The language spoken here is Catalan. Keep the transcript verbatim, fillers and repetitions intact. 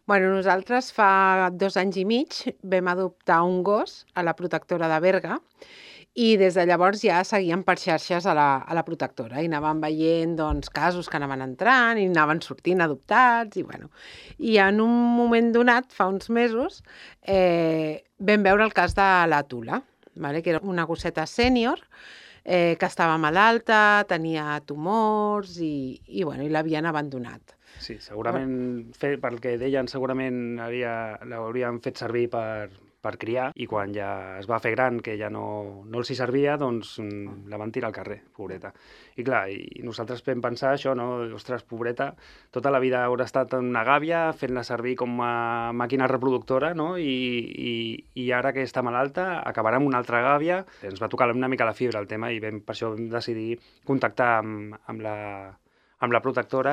Bueno, nosaltres fa dos anys i mig vam adoptar un gos a la protectora de Berga i des de llavors ja seguíem per xarxes a la, a la protectora i anàvem veient doncs, casos que anaven entrant i anaven sortint adoptats i bueno. I en un moment donat, fa uns mesos, eh, vam veure el cas de la Tula, vale? Que era una gosseta sènior eh, que estava malalta, tenia tumors i, i, bueno, i l'havien abandonat. Sí, segurament, fer, pel que deien, segurament havia, l'haurien fet servir per, per criar i quan ja es va fer gran, que ja no, no els hi servia, doncs mm, la van tirar al carrer, pobreta. I clar, i nosaltres vam pensar això, no? Ostres, pobreta, tota la vida haurà estat en una gàbia fent-la servir com a màquina reproductora, no? I, i, i ara que està malalta acabarà amb una altra gàbia. Ens va tocar una mica la fibra el tema i vam, per això vam decidir contactar amb, amb la amb la protectora